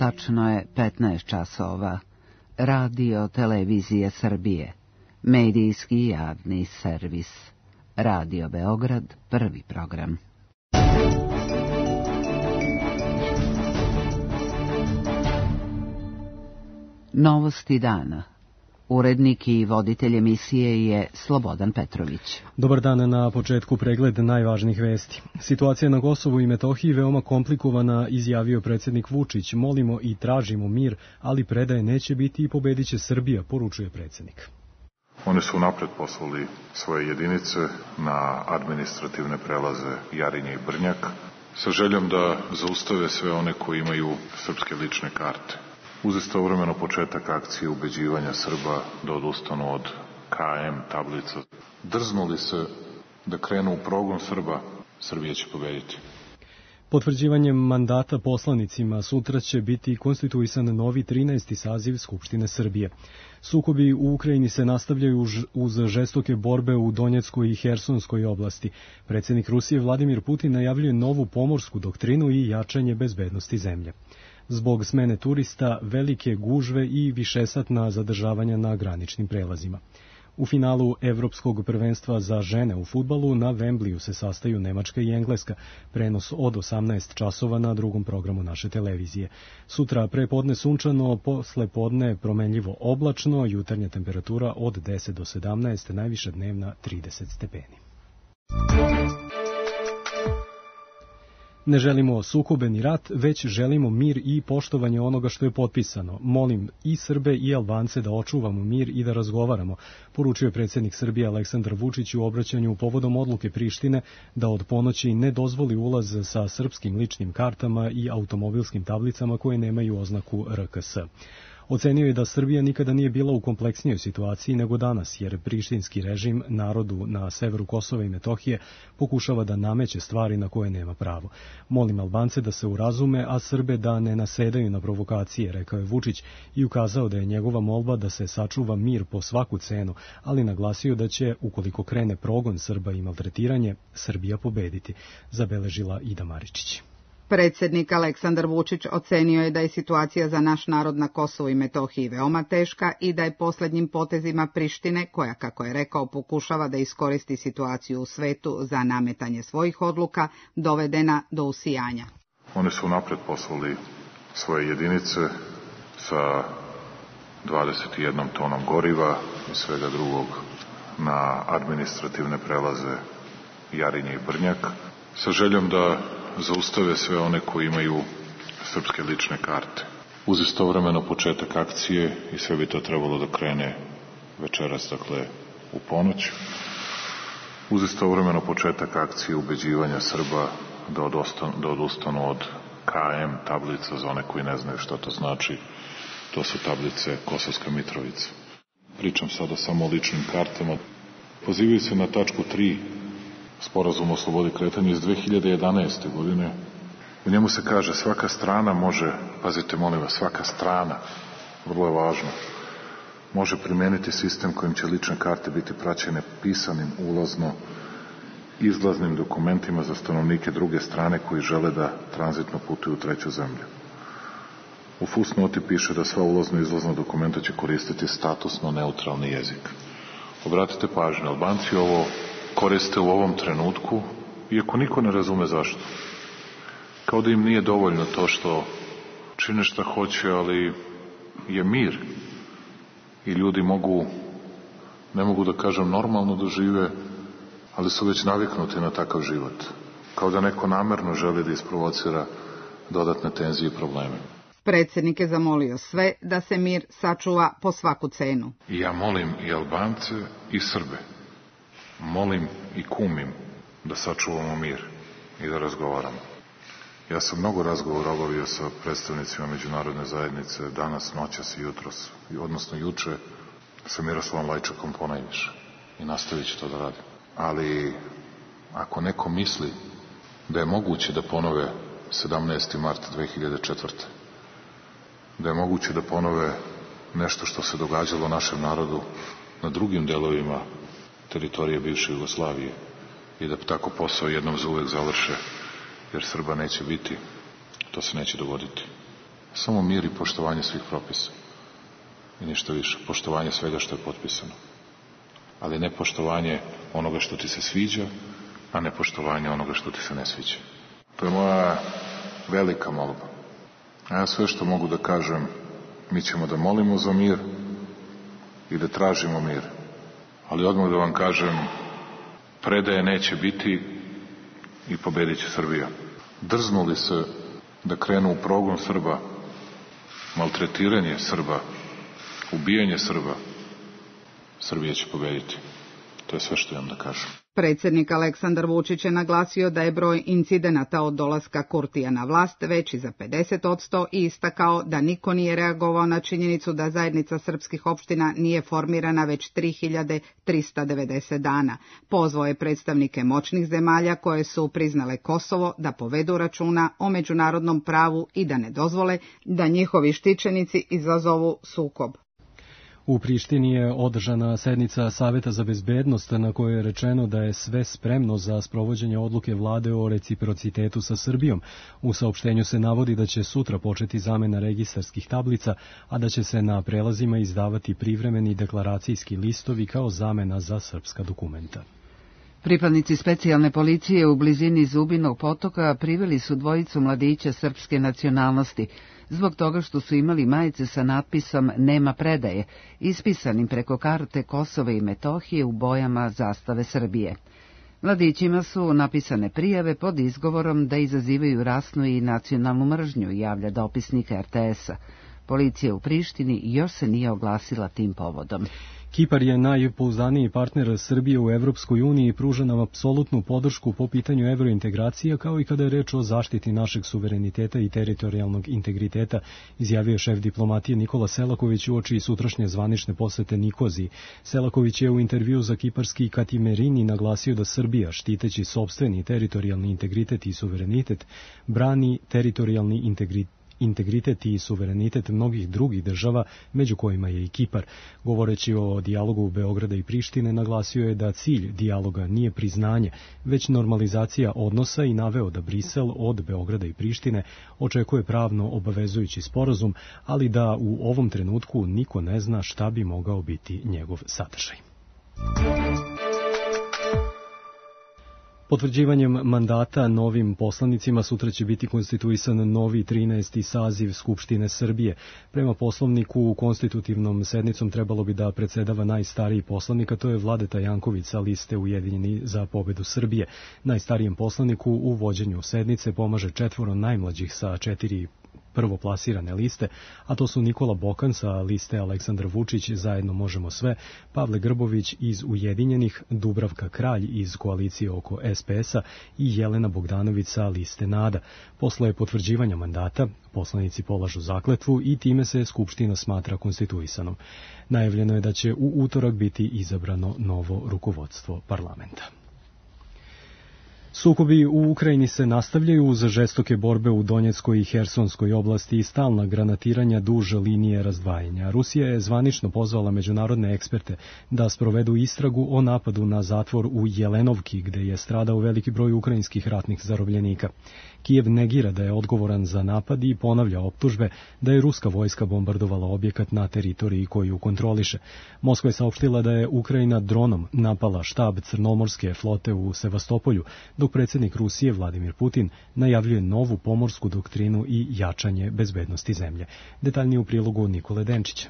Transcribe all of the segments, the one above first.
Tačno je 15 časova. Radio Televizije Srbije. Medijski javni servis. Radio Beograd, prvi program. Novosti dana. Urednik i voditelj emisije je Slobodan Petrović. Dobar dan, na početku pregled najvažnijih vesti. Situacija na Kosovu i Metohiji veoma komplikovana, izjavio predsjednik Vučić. Molimo i tražimo mir, ali predaje neće biti i pobedit će Srbija, poručuje predsjednik. Oni su napred poslali svoje jedinice na administrativne prelaze Jarinje i Brnjak sa željom da zaustave sve one koji imaju srpske lične karte. Uz istovremeno početak akcije ubeđivanja Srba da odustanu od KM tablica. Drznuli se da krenu u progon Srba, Srbija će pobediti. Potvrđivanjem mandata poslanicima sutra će biti konstituisan novi 13. saziv Skupštine Srbije. Sukobi u Ukrajini se nastavljaju uz žestoke borbe u Donjeckoj i Hersonskoj oblasti. Predsjednik Rusije Vladimir Putin najavljuje novu pomorsku doktrinu i jačanje bezbednosti zemlje. Zbog smene turista, velike gužve i višesatna zadržavanja na graničnim prelazima. U finalu Evropskog prvenstva za žene u fudbalu na Wembleyu se sastaju Nemačka i Engleska, prenos od 18 časova na drugom programu naše televizije. Sutra prepodne sunčano, posle podne promenljivo oblačno, jutarnja temperatura od 10 do 17, najviša dnevna 30 stepeni. Ne želimo sukobe ni rat, već želimo mir i poštovanje onoga što je potpisano. Molim i Srbe i Albance da očuvamo mir i da razgovaramo, poručio je predsjednik Srbije Aleksandar Vučić u obraćanju povodom odluke Prištine da od ponoći ne dozvoli ulaz sa srpskim ličnim kartama i automobilskim tablicama koje nemaju oznaku RKS. Ocenio je da Srbija nikada nije bila u kompleksnijoj situaciji nego danas, jer prištinski režim narodu na severu Kosova i Metohije pokušava da nameće stvari na koje nema pravo. Molim Albance da se urazume, a Srbe da ne nasedaju na provokacije, rekao je Vučić i ukazao da je njegova molba da se sačuva mir po svaku cenu, ali naglasio da će, ukoliko krene progon Srba i maltretiranje, Srbija pobediti, zabeležila Ida Maričić. Predsjednik Aleksandar Vučić ocenio je da je situacija za naš narod na Kosovu i Metohiji veoma teška i da je posljednjim potezima Prištine, koja, kako je rekao, pokušava da iskoristi situaciju u svetu za nametanje svojih odluka, dovedena do usijanja. Oni su napred poslali svoje jedinice sa 21 tonom goriva i svega drugog na administrativne prelaze Jarinje i Brnjak sa željom da zaustave sve one koji imaju srpske lične karte. Uz istovremeno početak akcije i sve bi to trebalo da krene večeras, dakle u ponoć. Uz istovremeno početak akcije ubeđivanja Srba da odustanu od KM tablica, za one koji ne znaju što to znači. To su tablice Kosovska Mitrovica. Pričam sada samo o ličnim kartama. Pozivaju se na tačku 3 Sporazum o slobodi kretanja iz 2011. godine. U njemu se kaže svaka strana može, pazite molim vas, svaka strana, vrlo je važno, može primijeniti sistem kojim će lične karte biti praćene pisanim ulazno izlaznim dokumentima za stanovnike druge strane koji žele da tranzitno putuju u treću zemlju. U fusnoti piše da sva ulazno i izlazna dokumenta će koristiti statusno neutralni jezik. Obratite pažnju, Albanci ovo koriste u ovom trenutku, iako niko ne razume zašto. Kao da im nije dovoljno to što čine šta hoće, ali je mir i ljudi mogu, ne mogu da kažem normalno da žive, ali su već naviknuti na takav život. Kao da neko namerno želi da isprovocira dodatne tenzije i probleme. Predsjednik je zamolio sve da se mir sačuva po svaku cenu. I ja molim i Albance i Srbe, molim i kumim da sačuvamo mir i da razgovaramo. Ja sam mnogo razgovora obavio sa predstavnicima međunarodne zajednice danas, noćas i jutros, odnosno juče sa Miroslavom Lajčakom ponajviše i nastavit ću to da radim. Ali ako neko misli da je moguće da ponove 17. marta 2004. da je moguće da ponove nešto što se događalo našem narodu na drugim delovima teritorije bivše Jugoslavije i da tako posao jednom za uvek završe, jer Srba neće biti, to se neće dogoditi. Samo mir i poštovanje svih propisa. I ništa više. Poštovanje svega što je potpisano. Ali ne poštovanje onoga što ti se sviđa, a ne poštovanje onoga što ti se ne sviđa. To je moja velika molba. A ja sve što mogu da kažem, mi ćemo da molimo za mir i da tražimo mir. Ali odmah da vam kažem, predaje neće biti i pobedit će Srbija. Drznuli se da krenu u progon Srba, maltretiranje Srba, ubijanje Srba, Srbija će pobediti. To je sve što imam da kažem. Predsjednik Aleksandar Vučić je naglasio da je broj incidenata od dolaska Kurtija na vlast veći za 50% i istakao da niko nije reagovao na činjenicu da zajednica srpskih opština nije formirana već 3390 dana. Pozvao je predstavnike moćnih zemalja koje su priznale Kosovo da povedu računa o međunarodnom pravu i da ne dozvole da njihovi štićenici izazovu sukob. U Prištini je održana sednica Saveta za bezbednost na kojoj je rečeno da je sve spremno za sprovođenje odluke vlade o reciprocitetu sa Srbijom. U saopštenju se navodi da će sutra početi zamena registarskih tablica, a da će se na prelazima izdavati privremeni deklaracijski listovi kao zamena za srpska dokumenta. Pripadnici specijalne policije u blizini Zubinog potoka priveli su dvojicu mladića srpske nacionalnosti, zbog toga što su imali majice sa natpisom "Nema predaje", ispisanim preko karte Kosova i Metohije u bojama zastave Srbije. Mladićima su napisane prijave pod izgovorom da izazivaju rasnu i nacionalnu mržnju, javlja dopisnik RTS-a. Policija u Prištini još se nije oglasila tim povodom. Kipar je najpouzdaniji partner Srbije u Evropskoj uniji i pruža nam apsolutnu podršku po pitanju evrointegracija, kao i kada je reč o zaštiti našeg suvereniteta i teritorijalnog integriteta, izjavio šef diplomatije Nikola Selaković uoči sutrašnje zvanične posete Nikoziji. Selaković je u intervju za kiparski Katimerini naglasio da Srbija, štiteći sopstveni teritorijalni integritet i suverenitet, brani teritorijalni integritet i suverenitet mnogih drugih država, među kojima je i Kipar. Govoreći o dijalogu Beograda i Prištine, naglasio je da cilj dijaloga nije priznanje, već normalizacija odnosa i naveo da Brisel od Beograda i Prištine očekuje pravno obavezujući sporazum, ali da u ovom trenutku niko ne zna šta bi mogao biti njegov sadržaj. Potvrđivanjem mandata novim poslanicima sutra će biti konstituisan novi 13. saziv Skupštine Srbije. Prema poslovniku, konstitutivnom sednicom trebalo bi da predsedava najstariji poslanik, a to je Vladeta Janković sa liste Ujedinjeni za pobedu Srbije. Najstarijem poslaniku u vođenju sednice pomaže 4 najmlađih sa 4 prvoplasirane liste, a to su Nikola Bokan sa liste Aleksandar Vučić, Zajedno možemo sve, Pavle Grbović iz Ujedinjenih, Dubravka Kralj iz koalicije oko SPS-a i Jelena Bogdanović sa liste NADA. Posle potvrđivanja mandata, poslanici polažu zakletvu i time se Skupština smatra konstituisanom. Najavljeno je da će u utorak biti izabrano novo rukovodstvo parlamenta. Sukobi u Ukrajini se nastavljaju uz žestoke borbe u Donjeckoj i Hersonskoj oblasti i stalna granatiranja duž linije razdvajanja. Rusija je zvanično pozvala međunarodne eksperte da sprovedu istragu o napadu na zatvor u Jelenovki, gde je stradao veliki broj ukrajinskih ratnih zarobljenika. Kijev negira da je odgovoran za napad i ponavlja optužbe da je ruska vojska bombardovala objekat na teritoriji koju kontroliše. Moskva je saopštila da je Ukrajina dronom napala štab Crnomorske flote u Sevastopolju, dok predsjednik Rusije Vladimir Putin najavljuje novu pomorsku doktrinu i jačanje bezbednosti zemlje. Detaljnije u prilogu Nikole Denčića.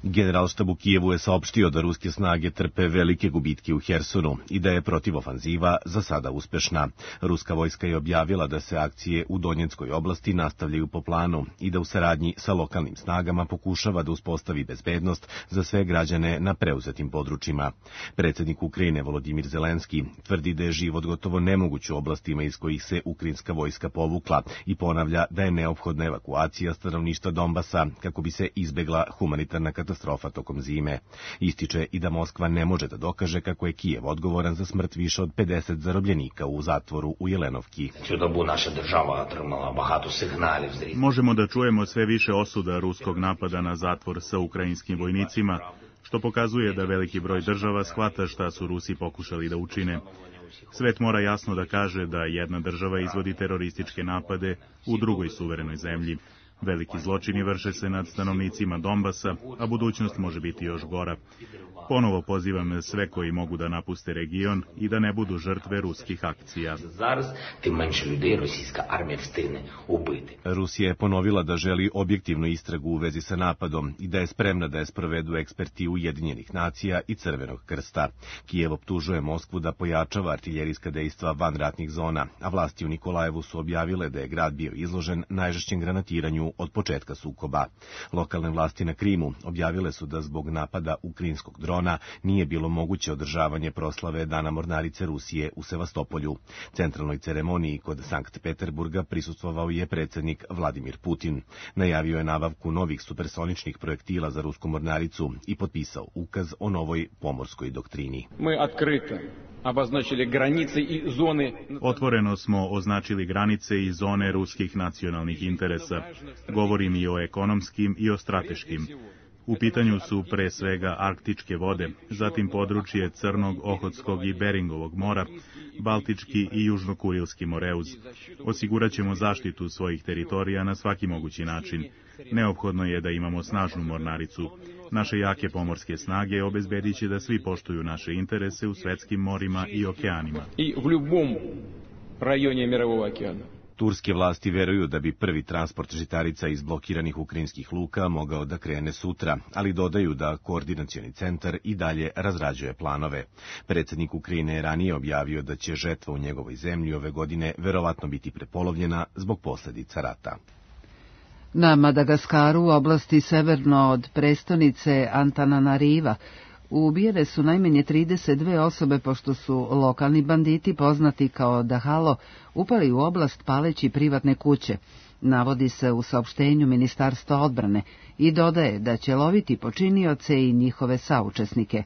Generalštab u Kijevu je saopštio da ruske snage trpe velike gubitke u Hersonu i da je protivofanziva za sada uspešna. Ruska vojska je objavila da se akcije u Donjeckoj oblasti nastavljaju po planu i da u saradnji sa lokalnim snagama pokušava da uspostavi bezbednost za sve građane na preuzetim područjima. Predsjednik Ukrajine Volodimir Zelenski tvrdi da je život gotovo nemoguć u oblastima iz kojih se ukrajinska vojska povukla i ponavlja da je neophodna evakuacija stanovništva Donbasa kako bi se izbegla humanitarna katastrofa tokom zime. Ističe i da Moskva ne može da dokaže kako je Kijev odgovoran za smrt više od 50 zarobljenika u zatvoru u Jelenovki. Možemo da čujemo sve više osuda ruskog napada na zatvor sa ukrajinskim vojnicima, što pokazuje da veliki broj država shvata šta su Rusi pokušali da učine. Svet mora jasno da kaže da jedna država izvodi terorističke napade u drugoj suverenoj zemlji. Veliki zločini vrše se nad stanovnicima Donbasa, a budućnost može biti još gora. Ponovo pozivam sve koji mogu da napuste region i da ne budu žrtve ruskih akcija. Rusija je ponovila da želi objektivnu istragu u vezi sa napadom i da je spremna da je sprovedu eksperti Ujedinjenih nacija i Crvenog krsta. Kijev optužuje Moskvu da pojačava artiljerijska dejstva van ratnih zona, a vlasti u Nikolajevu su objavile da je grad bio izložen najžešćem granatiranju od početka sukoba. Lokalne vlasti na Krimu objavile su da zbog napada ukrajinskog drona nije bilo moguće održavanje proslave Dana mornarice Rusije u Sevastopolju. Centralnoj ceremoniji kod Sankt Peterburga prisustvovao je predsjednik Vladimir Putin. Najavio je nabavku novih supersoničnih projektila za rusku mornaricu i potpisao ukaz o novoj pomorskoj doktrini. Otvoreno smo označili granice i zone ruskih nacionalnih interesa. Govorim i o ekonomskim i o strateškim. U pitanju su pre svega arktičke vode, zatim područje Crnog, Ohotskog i Beringovog mora, Baltički i Južno-Kurilski moreuz. Osigurat ćemo zaštitu svojih teritorija na svaki mogući način. Neophodno je da imamo snažnu mornaricu. Naše jake pomorske snage obezbedit će da svi poštuju naše interese u svetskim morima i okeanima. I u ljubom rajonu mirovog okeana. Turske vlasti veruju da bi prvi transport žitarica iz blokiranih ukrajinskih luka mogao da krene sutra, ali dodaju da koordinacioni centar i dalje razrađuje planove. Predsjednik Ukrajine je ranije objavio da će žetva u njegovoj zemlji ove godine verovatno biti prepolovljena zbog posljedica rata. Na Madagaskaru, u oblasti severno od prestonice Antananariva, ubijene su najmanje 32 osobe pošto su lokalni banditi poznati kao Dahalo upali u oblast paleći privatne kuće, navodi se u saopštenju Ministarstva odbrane i dodaje da će loviti počinioce i njihove saučesnike.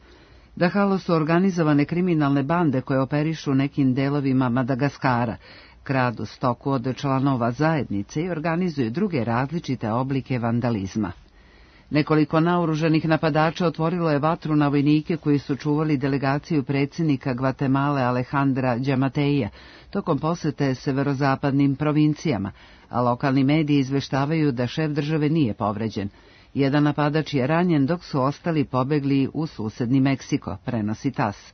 Dahalo su organizovane kriminalne bande koje operišu nekim delovima Madagaskara, kradu stoku od članova zajednice i organizuju druge različite oblike vandalizma. Nekoliko naoružanih napadača otvorilo je vatru na vojnike koji su čuvali delegaciju predsjednika Gvatemale Alejandra Đamateja tokom posete severozapadnim provincijama, a lokalni mediji izveštavaju da šef države nije povređen. Jedan napadač je ranjen dok su ostali pobegli u susedni Meksiko, prenosi TAS.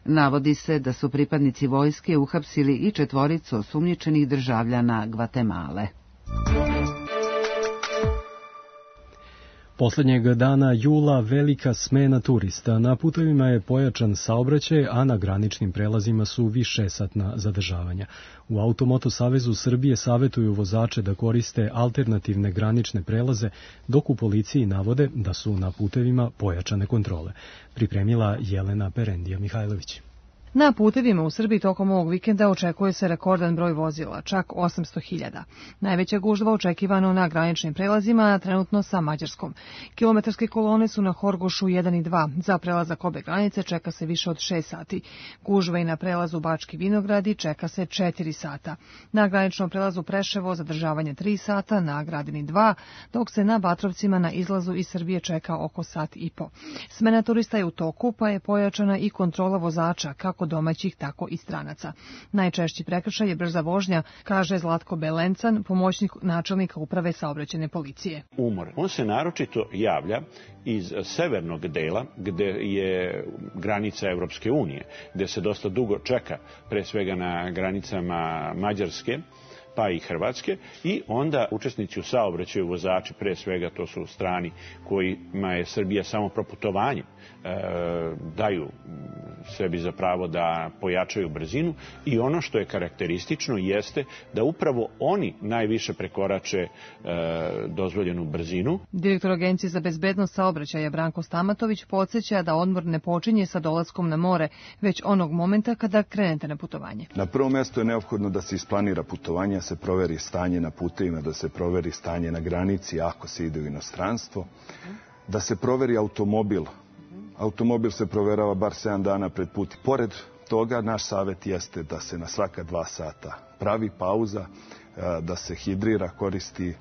Navodi se da su pripadnici vojske uhapsili i 4 osumnjičenih državljana Gvatemale. Poslednjeg dana jula velika smena turista. Na putevima je pojačan saobraćaj, a na graničnim prelazima su višesatna zadržavanja. U Automoto Savezu Srbije savetuju vozače da koriste alternativne granične prelaze, dok u policiji navode da su na putevima pojačane kontrole. Pripremila Jelena Perendija Mihajlović. Na putevima u Srbiji tokom ovog vikenda očekuje se rekordan broj vozila, čak 800.000. Najveća gužva očekivano na graničnim prelazima, trenutno sa Mađarskom. Kilometarske kolone su na Horgošu 1 i 2. Za prelazak obe granice čeka se više od 6 sati. Gužva i na prelazu Bački Vinogradi čeka se 4 sata. Na graničnom prelazu Preševo zadržavanje 3 sata, na Gradini 2, dok se na Batrovcima na izlazu iz Srbije čeka oko sat i po. Smena turista je u toku, pa je pojačana i kontrola vozača, kako domaćih, tako i stranaca. Najčešći prekršaj je brza vožnja, kaže Zlatko Belencan, pomoćnik načelnika uprave saobraćajne policije. Umor. On se naročito javlja iz severnog dela, gde je granica Evropske unije, gde se dosta dugo čeka, pre svega na granicama Mađarske, pa i Hrvatske, i onda učesnici u saobraćaju, vozači, pre svega to su strani kojima je Srbija samo proputovanje, daju sebi za pravo da pojačaju brzinu, i ono što je karakteristično jeste da upravo oni najviše prekorače dozvoljenu brzinu. Direktor Agencije za bezbednost saobraćaja Branko Stamatović podsjeća da odmor ne počinje sa dolaskom na more, već onog momenta kada krenete na putovanje. Na prvom mjestu je neophodno da se isplanira putovanje, da se proveri stanje na putevima, da se proveri stanje na granici ako se ide u inostranstvo, da se proveri automobil. Automobil se proverava bar 7 dana pred put. Pored toga, naš savjet jeste da se na svaka 2 sata pravi pauza, da se hidrira, koristi,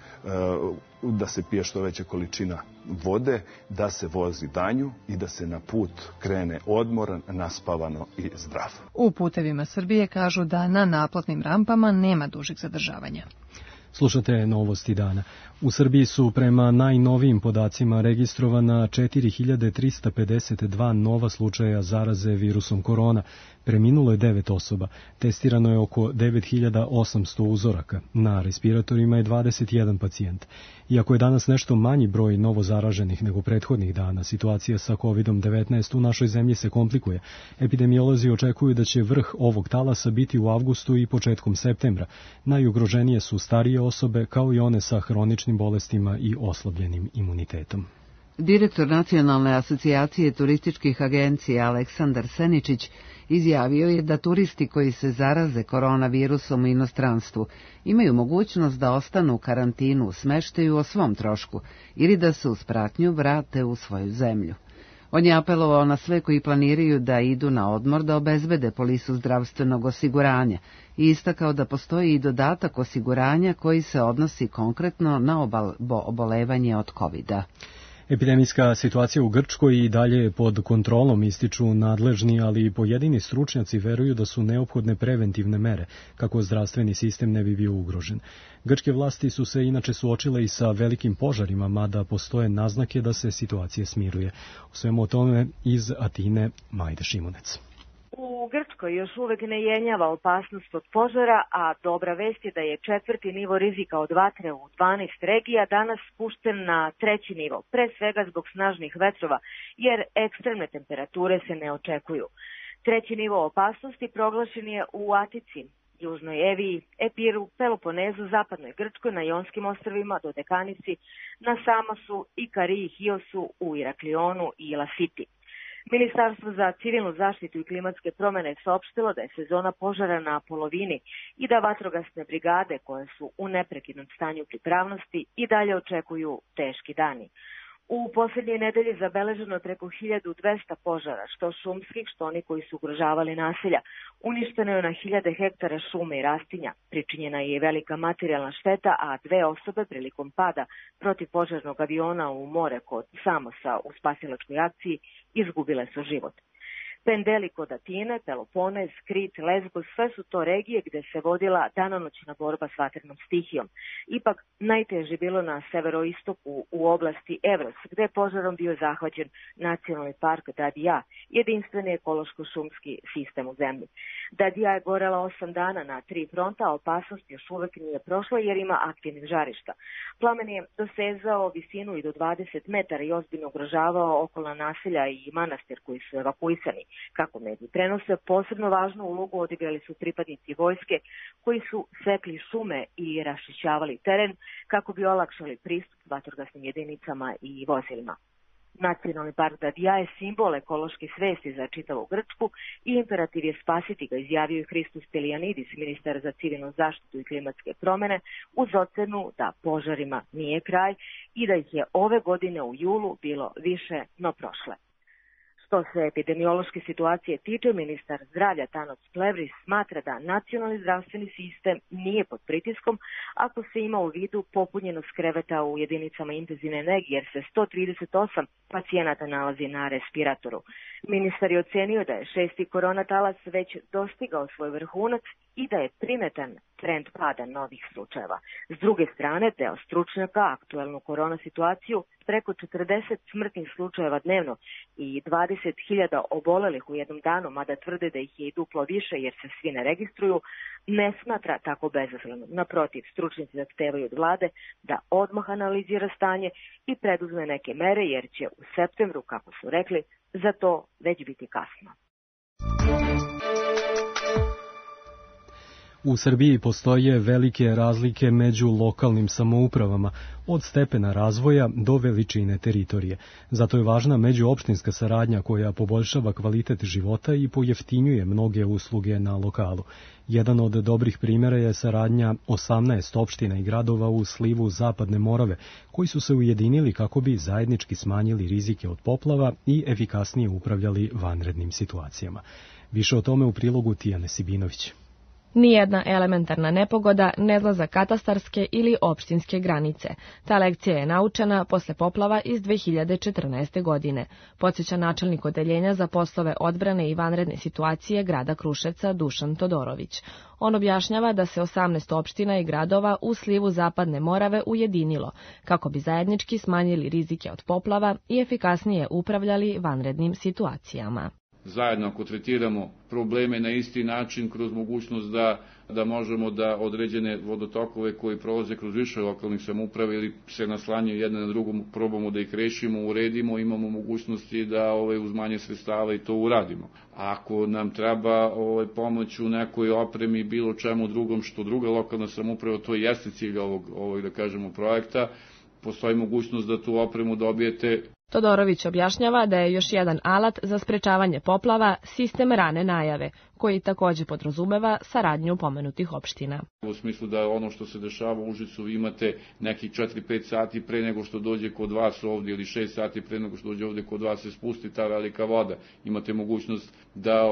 da se pije što veća količina vode, da se vozi danju i da se na put krene odmoran, naspavano i zdrav. U putevima Srbije kažu da na naplatnim rampama nema dužeg zadržavanja. Slušate novosti dana. U Srbiji su prema najnovijim podacima registrovana 4352 nova slučaja zaraze virusom korona. Preminulo je 9 osoba. Testirano je oko 9800 uzoraka. Na respiratorima je 21 pacijent. Iako je danas nešto manji broj novo zaraženih nego prethodnih dana, situacija sa COVID-19 u našoj zemlji se komplikuje. Epidemiolozi očekuju da će vrh ovog talasa biti u avgustu i početkom septembra. Najugroženije su starije osobe, kao i one sa hroničnim bolestima i oslabljenim imunitetom. Direktor Nacionalne asocijacije turističkih agencija Aleksandar Seničić izjavio je da turisti koji se zaraze koronavirusom u inostranstvu imaju mogućnost da ostanu u karantinu u smeštaju o svom trošku ili da se uz pratnju vrate u svoju zemlju. On je apelovao na sve koji planiraju da idu na odmor da obezbede polisu zdravstvenog osiguranja i istakao da postoji i dodatak osiguranja koji se odnosi konkretno na obolevanje od COVID-a. Epidemijska situacija u Grčkoj i dalje je pod kontrolom, ističu nadležni, ali i pojedini stručnjaci veruju da su neophodne preventivne mere kako zdravstveni sistem ne bi bio ugrožen. Grčke vlasti su se inače suočile i sa velikim požarima, mada postoje naznake da se situacija smiruje. O svemu o tome iz Atine Majda Šimunec. U Grčkoj još uvek ne jenjava opasnost od požara, a dobra vest je da je 4. nivo rizika od vatre u 12 regija danas spušten na 3. nivo, pre svega zbog snažnih vetrova, jer ekstremne temperature se ne očekuju. 3. nivo opasnosti proglašen je u Atici, Južnoj Eviji, Epiru, Peloponezu, Zapadnoj Grčkoj, na Jonskim ostrvima, Dodekanici, na Samosu, Ikariji, Hiosu, u Iraklionu i Lasiti. Ministarstvo za civilnu zaštitu i klimatske promjene saopštilo da je sezona požara na polovini i da vatrogasne brigade, koje su u neprekidnom stanju pripravnosti, i dalje očekuju teški dani. U posljednje nedelje zabeleženo je preko 1200 požara, što šumskih, što oni koji su ugrožavali naselja. Uništeno je na 1000 hektara šume i rastinja. Pričinjena je velika materijalna šteta, a 2 osobe prilikom pada protivpožarnog aviona u more kod Samosa u spasilačkoj akciji izgubile su život. Pendeli kod Atine, Peloponez, Krit, Lesbos, sve su to regije gde se vodila danonoćna borba s vatrenom stihijom. Ipak najteže bilo na severoistoku u oblasti Evros, gde je požarom bio zahvaćen nacionalni park Dadija, jedinstveni ekološko-šumski sistem u zemlji. Dadija je gorela 8 dana na 3 fronta, a opasnost još uvek nije prošla jer ima aktivnih žarišta. Plamen je dosezao visinu i do 20 metara i ozbiljno ugrožavao okolna naselja i manastir koji su evakuisani. Kako mediji prenose, posebno važnu ulogu odigrali su pripadnici vojske koji su sekli šume i raščišćavali teren kako bi olakšali pristup vatrogasnim jedinicama i vozilima. Nacionalni park Dadija je simbol ekološke svesti za čitavu Grčku i imperativ je spasiti ga, izjavio je Hristos Stelijanidis, ministar za civilnu zaštitu i klimatske promjene, uz ocenu da požarima nije kraj i da ih je ove godine u julu bilo više no prošle. Što se epidemiološke situacije tiče, ministar zdravlja Tanos Plevris smatra da nacionalni zdravstveni sistem nije pod pritiskom ako se ima u vidu popunjenost kreveta u jedinicama intenzivne nege, jer se 138 pacijenata nalazi na respiratoru. Ministar je ocenio da je 6. koronatalas već dostigao svoj vrhunac i da je primetan trend pada novih slučajeva. S druge strane, deo stručnjaka aktuelnu korona situaciju, preko 40 smrtnih slučajeva dnevno i 20.000 obolelih u jednom danu, mada tvrde da ih je i duplo više jer se svi ne registruju, ne smatra tako bezazleno. Naprotiv, stručnjaci zahtevaju od vlade da odmah analizira stanje i preduzme neke mere, jer će u septembru, kako su rekli, za to već biti kasno. U Srbiji postoje velike razlike među lokalnim samoupravama, od stepena razvoja do veličine teritorije. Zato je važna međuopštinska saradnja koja poboljšava kvalitet života i pojeftinjuje mnoge usluge na lokalu. Jedan od dobrih primjera je saradnja 18 opština i gradova u slivu Zapadne Morave, koji su se ujedinili kako bi zajednički smanjili rizike od poplava i efikasnije upravljali vanrednim situacijama. Više o tome u prilogu Tijane Sibinović. Nijedna elementarna nepogoda ne zna za katastarske ili opštinske granice. Ta lekcija je naučena posle poplava iz 2014. godine, podsjeća načelnik odeljenja za poslove odbrane i vanredne situacije grada Kruševca Dušan Todorović. On objašnjava da se 18 opština i gradova u slivu Zapadne Morave ujedinilo, kako bi zajednički smanjili rizike od poplava i efikasnije upravljali vanrednim situacijama. Zajedno ako tretiramo probleme na isti način kroz mogućnost da možemo da određene vodotokove koji prolaze kroz više lokalnih samouprave ili se naslanjaju jedne na drugu, probamo da ih rešimo, uredimo, imamo mogućnosti da uz manje sredstava i to uradimo. Ako nam treba pomoć u nekoj opremi, bilo čemu drugom što druga lokalna samouprava, to jeste cilj ovog da kažemo projekta, postoji mogućnost da tu opremu dobijete. Todorović objašnjava da je još jedan alat za sprečavanje poplava sistem rane najave, koji takođe podrazumeva saradnju pomenutih opština. U smislu da ono što se dešava u Užicu vi imate nekih 4-5 sati pre nego što dođe kod vas ovdje ili 6 sati pre nego što dođe ovdje kod vas se spusti ta velika voda. Imate mogućnost da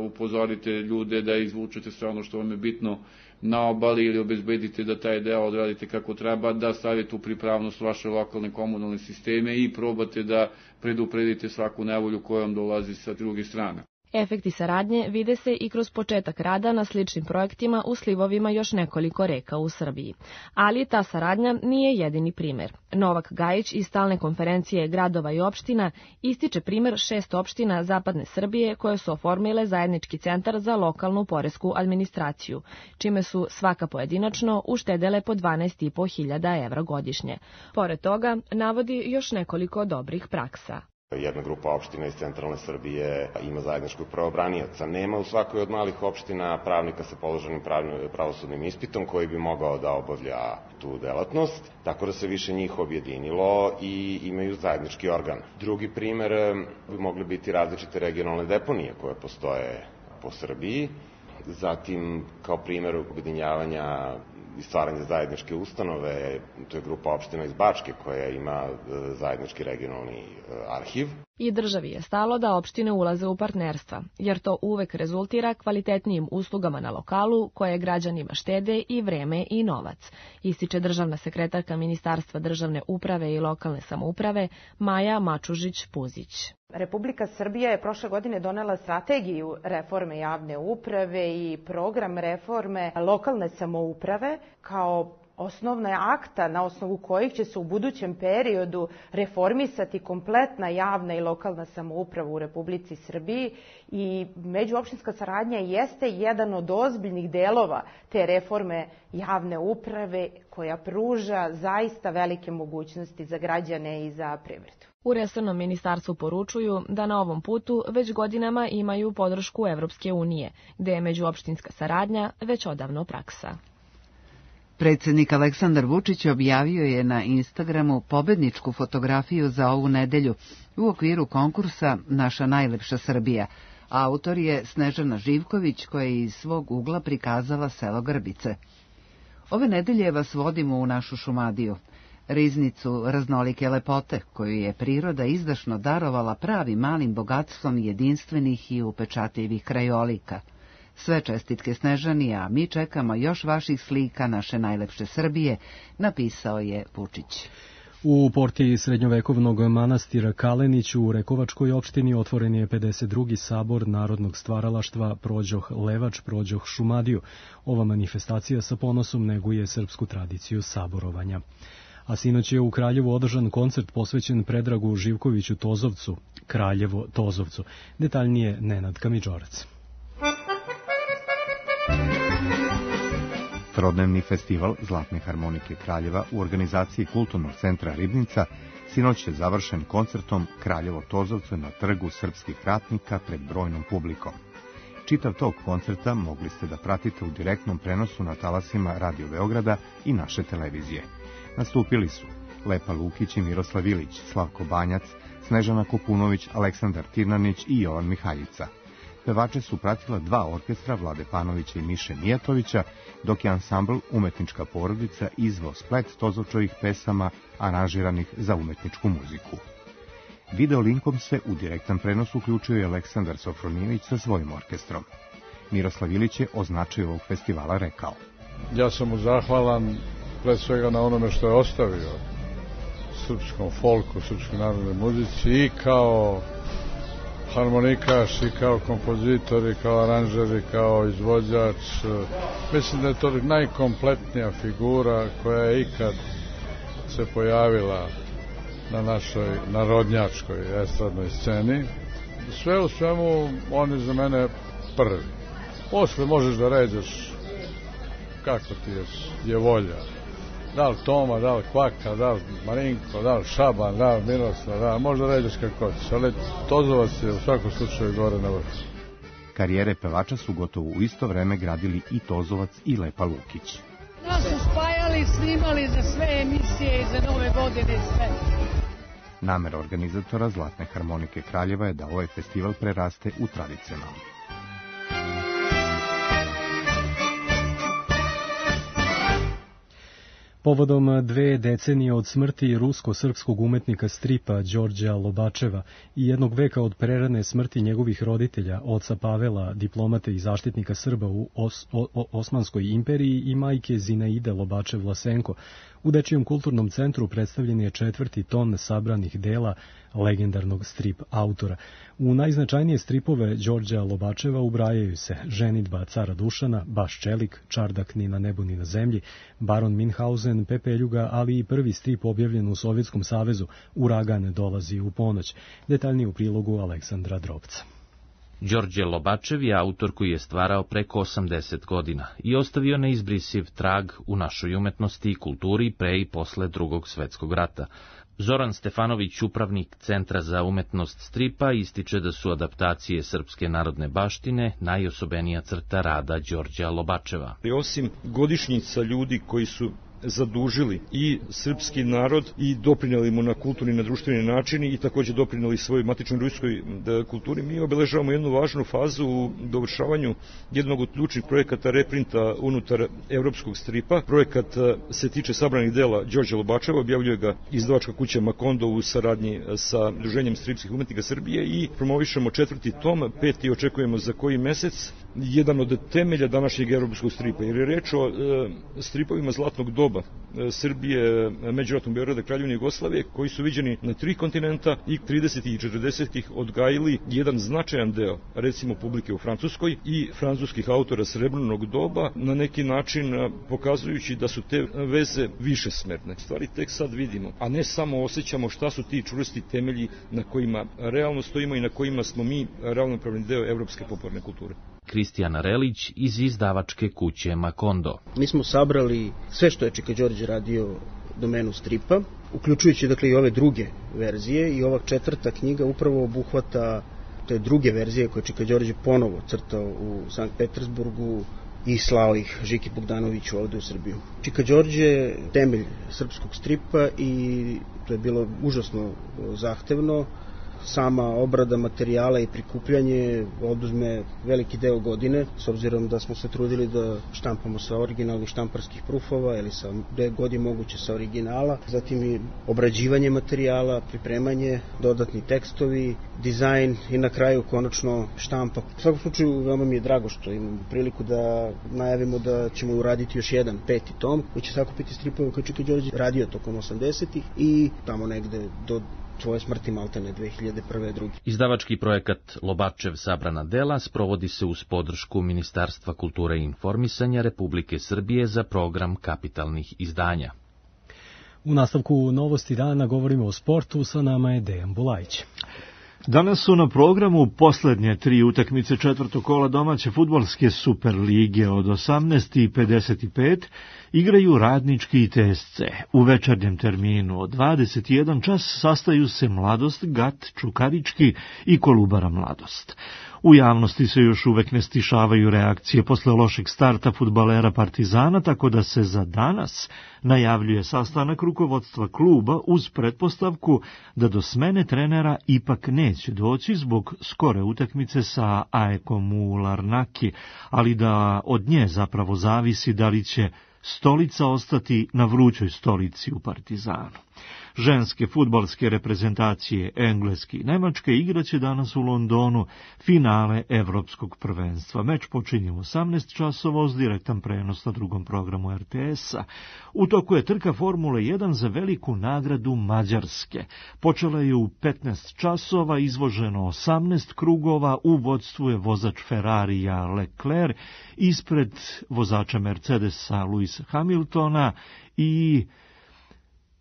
upozorite ljude, da izvučete sve ono što vam je bitno na obali ili obezbedite da taj deo odradite kako treba, da stavite u pripravnost vaše lokalne komunalne sisteme i probate da predupredite svaku nevolju kojom dolazi sa druge strane. Efekti saradnje vide se i kroz početak rada na sličnim projektima u slivovima još nekoliko reka u Srbiji. Ali ta saradnja nije jedini primer. Novak Gajić iz stalne konferencije gradova i opština ističe primer 6 opština Zapadne Srbije koje su oformile zajednički centar za lokalnu poresku administraciju, čime su svaka pojedinačno uštedele po 12.500 evra godišnje. Pored toga, navodi još nekoliko dobrih praksa. Jedna grupa opština iz centralne Srbije ima zajedničkog pravobranioca. Nema u svakoj od malih opština pravnika sa položenim pravosudnim ispitom koji bi mogao da obavlja tu delatnost, tako da se više njih objedinilo i imaju zajednički organ. Drugi primer bi mogli biti različite regionalne deponije koje postoje po Srbiji. Zatim, kao primer objedinjavanja i stvaranja zajedničke ustanove, to je grupa opština iz Bačke koja ima zajednički regionalni arhiv. I državi je stalo da opštine ulaze u partnerstva, jer to uvek rezultira kvalitetnijim uslugama na lokalu koje građanima štede i vreme i novac, ističe državna sekretarka Ministarstva državne uprave i lokalne samouprave Maja Mačužić-Puzić. Republika Srbija je prošle godine donela strategiju reforme javne uprave i program reforme lokalne samouprave kao osnovna akta na osnovu kojih će se u budućem periodu reformisati kompletna javna i lokalna samouprava u Republici Srbiji i međuopštinska saradnja jeste jedan od ozbiljnih delova te reforme javne uprave koja pruža zaista velike mogućnosti za građane i za privredu. U resornom ministarstvu poručuju da na ovom putu već godinama imaju podršku Evropske unije, gde je međuopštinska saradnja već odavno praksa. Predsjednik Aleksandar Vučić objavio je na Instagramu pobedničku fotografiju za ovu nedelju u okviru konkursa Naša najlepša Srbija. Autor je Snežana Živković koja je iz svog ugla prikazala selo Grbice. Ove nedelje vas vodimo u našu Šumadiju, riznicu raznolike lepote koju je priroda izdašno darovala pravim malim bogatstvom jedinstvenih i upečatljivih krajolika. Sve čestitke Snežani, a mi čekamo još vaših slika naše najlepše Srbije, napisao je Vučić. U portiji srednjovekovnog manastira Kalenić u Rekovačkoj opštini otvoren je 52. sabor narodnog stvaralaštva Prođoh Levač, Prođoh Šumadiju. Ova manifestacija sa ponosom neguje srpsku tradiciju saborovanja. A sinoć je u Kraljevu održan koncert posvećen Predragu Živkoviću Tozovcu, Kraljevo Tozovcu. Detaljnije Nenad Kamidžorac. Trodnevni festival Zlatne harmonike Kraljeva u organizaciji Kulturnog centra Ribnica sinoć je završen koncertom Kraljevo Tozovcu na trgu srpskih ratnika pred brojnom publikom. Čitav tog koncerta mogli ste da pratite u direktnom prenosu na talasima Radio Beograda i naše televizije. Nastupili su Lepa Lukić i Miroslav Ilić, Slavko Banjac, Snežana Kopunović, Aleksandar Tirnanić i Jovan Mihajlica. Pevače su pratila dva orkestra Vlade Panovića i Miše Mijatovića, dok je ansambl Umetnička porodica izveo splet Tozovčovih pesama aranžiranih za umetničku muziku. Video linkom se u direktan prenos uključio je Aleksandar Sofronijević sa svojim orkestrom. Miroslav Ilić je o značaju ovog festivala rekao. Ja sam mu zahvalan pre svega na onome što je ostavio srpskom folku, srpskoj narodnoj muzici i kao harmonikaš i kao kompozitor i kao aranžer i kao izvođač. Mislim da je to najkompletnija figura koja je ikad se pojavila na našoj narodnjačkoj estradnoj sceni. Sve u svemu on je za mene prvi. Posle možeš da ređeš kako ti je volja. Da li Toma, da li Kvaka, da li Marinko, da li Šaban, da li Miroslav, da li možda ređeš kako hoćeš, ali Tozovac je u svakom slučaju gore na vrhu. Karijere pevača su gotovo u isto vreme gradili i Tozovac i Lepa Lukić. Nas su spajali, snimali za sve emisije i za nove godine i sve. Namera organizatora Zlatne harmonike Kraljeva je da ovaj festival preraste u tradicionalni. Povodom 2 decenije od smrti rusko-srpskog umetnika stripa Đorđa Lobačeva i 1 veka od prerane smrti njegovih roditelja, oca Pavela, diplomate i zaštitnika Srba u Osmanskoj imperiji i majke Zinaide Lobačev-Vlasenko, u Dečijem kulturnom centru predstavljen je 4. ton sabranih dela legendarnog strip autora. U najznačajnije stripove Đorđa Lobačeva ubrajaju se Ženidba cara Dušana, Baš Čelik, Čardak ni na nebu ni na zemlji, Baron Minhausen, Pepeljuga, ali i prvi strip objavljen u Sovjetskom savezu, Uragan dolazi u ponoć. Detaljnije u prilogu Aleksandra Drobca. Đorđe Lobačev je autor koji je stvarao preko 80 godina i ostavio neizbrisiv trag u našoj umetnosti i kulturi pre i posle Drugog svetskog rata. Zoran Stefanović, upravnik Centra za umetnost stripa, ističe da su adaptacije srpske narodne baštine najosobenija crta rada Đorđa Lobačeva. Osim godišnjica ljudi koji su zadužili i srpski narod i doprinjeli mu na kulturni i na društveni način i također doprinjeli svojoj matičnoj ruskoj kulturi, mi obeležavamo jednu važnu fazu u dovršavanju jednog od ključnih projekata reprinta unutar evropskog stripa. Projekat se tiče sabranih dela Đorđa Lobačeva, objavljuje ga izdavačka kuća Makondo u saradnji sa Udruženjem stripskih umetnika Srbije i promovišemo 4. tom, 5. očekujemo za koji mesec, jedan od temelja današnjeg evropskog stripa, jer je reč o stripovima zlatnog doba Srbije, međuratnog Beograda, Kraljevine Jugoslavije, koji su viđeni na 3 kontinenta i 30. i 40. odgajili jedan značajan deo, recimo publike u Francuskoj i francuskih autora srebrnog doba, na neki način pokazujući da su te veze višesmerne. Stvari tek sad vidimo, a ne samo osjećamo šta su ti čvrsti temelji na kojima realno stojimo i na kojima smo mi ravnopravni deo evropske popularne kulture. Kristijan Relić iz izdavačke kuće Makondo. Mi smo sabrali sve što je Čika Đorđe radio domenu stripa, uključujući dakle i ove druge verzije, i ova 4. knjiga upravo obuhvata te druge verzije koje Čika Đorđe ponovo crtao u Sankt Petersburgu i slao ih Žiki Bogdanoviću ovde u Srbiju. Čika Đorđe je temelj srpskog stripa i to je bilo užasno zahtevno. Sama obrada materijala i prikupljanje oduzme veliki deo godine, s obzirom da smo se trudili da štampamo sa originalnih štamparskih prufova ili sa gde god je moguće sa originala, zatim i obrađivanje materijala, pripremanje, dodatni tekstovi, dizajn i na kraju konačno štampa. U svakom slučaju veoma mi je drago što imam priliku da najavimo da ćemo uraditi još jedan 5. tom koji će sakupiti stripove koje Čika Đorđe radio tokom 80-ih i tamo negde do svoje smrti maltene 2001. 2. Izdavački projekat Lobačev sabrana dela sprovodi se uz podršku Ministarstva kulture i informisanja Republike Srbije za program kapitalnih izdanja. U nastavku novosti dana govorimo o sportu, sa nama je Dejan Bulajić. Danas su na programu poslednje 3 utakmice 4. kola domaće fudbalske Superlige. Od 18:55 igraju Radnički i TSC. U večernjem terminu od 21 čas sastaju se Mladost, Gat, Čukarički i Kolubara Mladost. U javnosti se još uvek ne stišavaju reakcije posle lošeg starta fudbalera Partizana, tako da se za danas najavljuje sastanak rukovodstva kluba uz pretpostavku da do smene trenera ipak neće doći zbog skore utakmice sa AEK-om u Larnaki, ali da od nje zapravo zavisi da li će stolica ostati na vrućoj stolici u Partizanu. Ženske fudbalske reprezentacije Engleske i Nemačke igraće danas u Londonu finale Evropskog prvenstva. Meč počinje u 18 časova uz direktan prenos na drugom programu RTS-a. U toku je trka Formule 1 za veliku nagradu Mađarske. Počela je u 15 časova, izvoženo 18 krugova, u vodstvu je vozač Ferrarija Leclerc, ispred vozača Mercedesa Lewisa Hamiltona i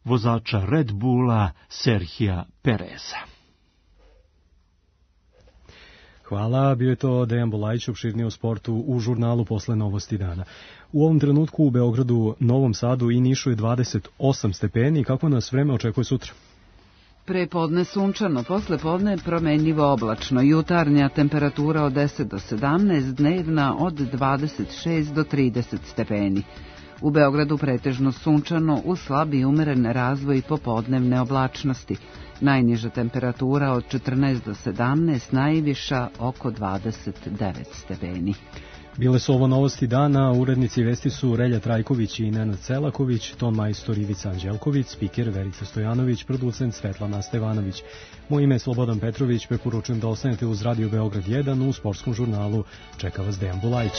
vozača Red Bulla Serhija Pereza. Hvala, bio je to Dejan Bulajić, opširnije o sportu u žurnalu Posle novosti dana. U ovom trenutku u Beogradu, Novom Sadu i Nišu je 28 stepeni. Kako nas vreme očekuje sutra? Prepodne sunčano, posle podne promenljivo oblačno, jutarnja temperatura od 10 do 17, dnevna od 26 do 30 stepeni. U Beogradu pretežno sunčano, uz slab i umeren razvoj popodnevne oblačnosti. Najniža temperatura od 14 do 17, najviša oko 29 stepeni. Bile su ovo novosti dana, urednici vesti su Relja Trajković i Nenad Celaković, ton majstor Ivica Anđelković, spiker Verica Stojanović, producent Svetlana Stevanović. Moje ime je Slobodan Petrović, preporučujem da ostanete uz Radio Beograd 1, u sportskom žurnalu čeka vas Dejan Bulajić.